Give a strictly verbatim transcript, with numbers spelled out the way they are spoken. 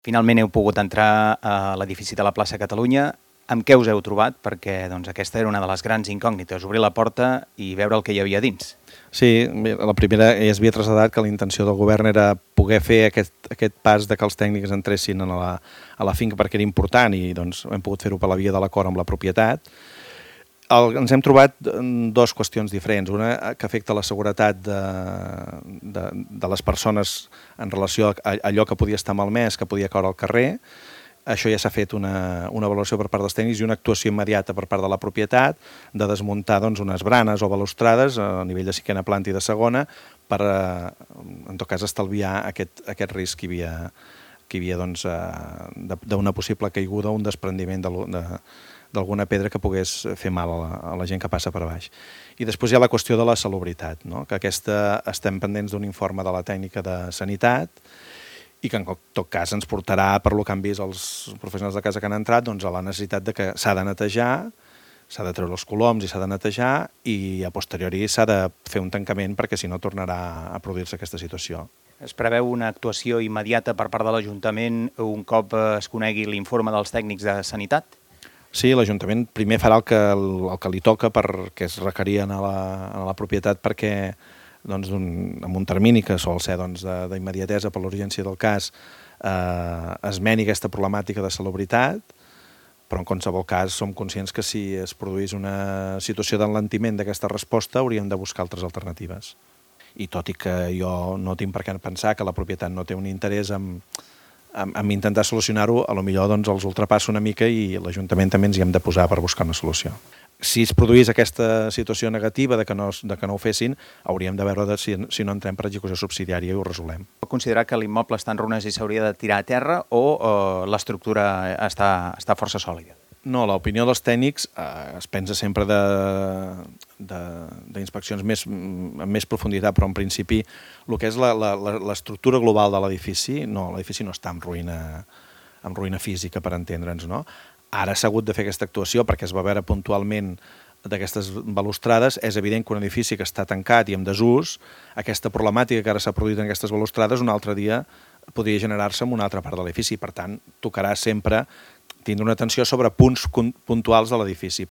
Finalment heu pogut entrar a l'edifici de la plaça Catalunya. Amb què us heu trobat? Perquè doncs, aquesta era una de les grans incògnites, obrir la porta i veure el que hi havia dins. Sí, la primera ja es havia traslladat que la intenció del govern era poder fer aquest, aquest pas de que els tècnics entressin a la, a la finca perquè era important i doncs, hem pogut fer-ho per la via de l'acord amb la propietat. El, ens hem trobat dues qüestions diferents. Una que afecta la seguretat de, de, de les persones en relació a allò que podia estar malmès, que podia caure al carrer. Això ja s'ha fet una, una avaluació per part dels tècnics i una actuació immediata per part de la propietat de desmuntar doncs, unes branes o balustrades a nivell de cinquena planta i de segona per, en tot cas, estalviar aquest, aquest risc que hi havia, que hi havia doncs, d'una possible caiguda o un desprendiment de, de, d'alguna pedra que pogués fer mal a la, a la gent que passa per baix. I després hi ha la qüestió de la salubritat, no? Que aquesta estem pendents d'un informe de la tècnica de sanitat i que en tot cas ens portarà, per lo que han vist els professionals de casa que han entrat, doncs a la necessitat de que s'ha de netejar, s'ha de treure els coloms i s'ha de netejar i a posteriori s'ha de fer un tancament perquè si no tornarà a produir-se aquesta situació. Es preveu una actuació immediata per part de l'Ajuntament un cop es conegui l'informe dels tècnics de sanitat? Sí, l'Ajuntament primer farà el que, el, el que li toca perquè es requerien a la, a la propietat perquè doncs, un, amb un termini que sol ser doncs, d'immediatesa per l'urgència del cas eh, es meni aquesta problemàtica de salubritat, però en qualsevol cas som conscients que si es produís una situació d'enlentiment d'aquesta resposta hauríem de buscar altres alternatives. I tot i que jo no tinc per què pensar que la propietat no té un interès en, en, en intentar solucionar-ho, a lo millor doncs, els ultrapassa una mica i l'Ajuntament també ens hi hem de posar per buscar una solució. Si es produís aquesta situació negativa de que no, de que no ho fessin, hauríem de veure de si, si no entrem per execució subsidiària i ho resolem. Pot considerar que l'immoble està en runes i s'hauria de tirar a terra o eh, l'estructura està, està força sòlida? No, l'opinió dels tècnics eh, es pensa sempre d'inspeccions més, amb més profunditat, però en principi el que és l'estructura global de l'edifici, no, l'edifici no està en ruïna, en ruïna física, per entendre'ns, no? Ara s'ha hagut de fer aquesta actuació perquè es va veure puntualment d'aquestes balustrades. És evident que un edifici que està tancat i en desús, aquesta problemàtica que ara s'ha produït en aquestes balustrades un altre dia podria generar-se en una altra part de l'edifici. Per tant, tocarà sempre tindre una atenció sobre punts puntuals de l'edifici.